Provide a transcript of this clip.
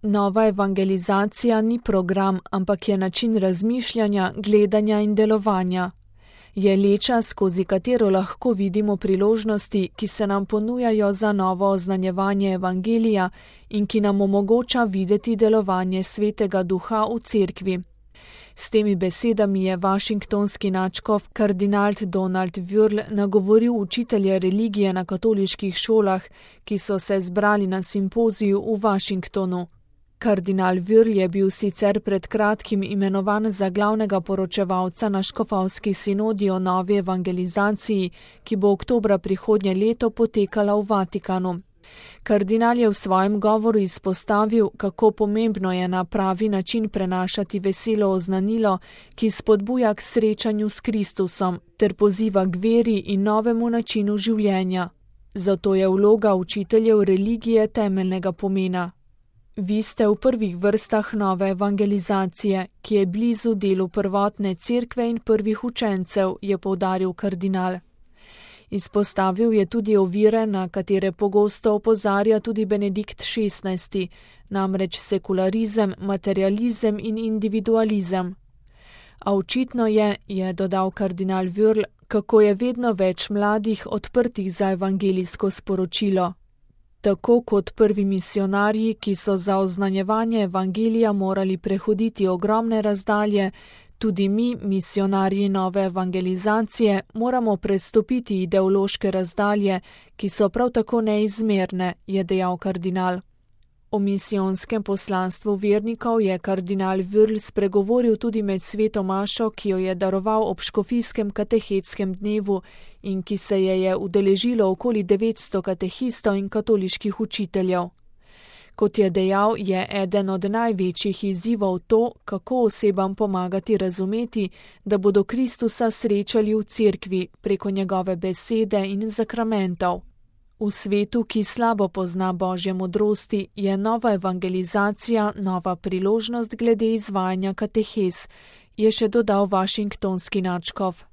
Nova evangelizacija ni program, ampak je način razmišljanja, gledanja in delovanja. Je leča, skozi katero lahko vidimo priložnosti, ki se nam ponujajo za novo oznanjevanje evangelija in ki nam omogoča videti delovanje Svetega Duha v cerkvi. S temi besedami je washingtonski nadškof kardinal Donald Wuerl nagovoril učitelje religije na katoliških šolah, ki so se zbrali na simpoziju v Washingtonu. Kardinal Wuerl je bil sicer pred kratkim imenovan za glavnega poročevalca na škofovski sinodi o novi evangelizaciji, ki bo oktobra prihodnje leto potekala v Vatikanu. Kardinal je v svojem govoru izpostavil, kako pomembno je na pravi način prenašati veselo oznanilo, ki spodbuja k srečanju s Kristusom, ter poziva k veri in novemu načinu življenja. Zato je vloga učiteljev religije temeljnega pomena. Vi ste v prvih vrstah nove evangelizacije, ki je blizu delu prvotne cerkve in prvih učencev, je poudaril kardinal. Izpostavil je tudi ovire, na katere pogosto opozarja tudi Benedikt XVI, namreč sekularizem, materializem in individualizem. A očitno je dodal kardinal Wuerl, kako je vedno več mladih odprtih za evangelijsko sporočilo. Tako kot prvi misionarji, ki so za oznanjevanje evangelija morali prehoditi ogromne razdalje, tudi mi, misionarji nove evangelizacije, moramo prestopiti ideološke razdalje, ki so prav tako neizmerne, je dejal kardinal. O misijonskem poslanstvu vernikov je kardinal Wuerl spregovoril tudi med sveto mašo, ki jo je daroval ob škofijskem katehetskem dnevu in ki se je udeležilo okoli 900 katehistov in katoliških učiteljev. Kot je dejal, je eden od največjih izzivov to, kako osebam pomagati razumeti, da bodo Kristusa srečali v cerkvi preko njegove besede in zakramentov. V svetu, ki slabo pozna Božje modrosti, je nova evangelizacija nova priložnost glede izvajanja katehez, je še dodal washingtonski nadškof.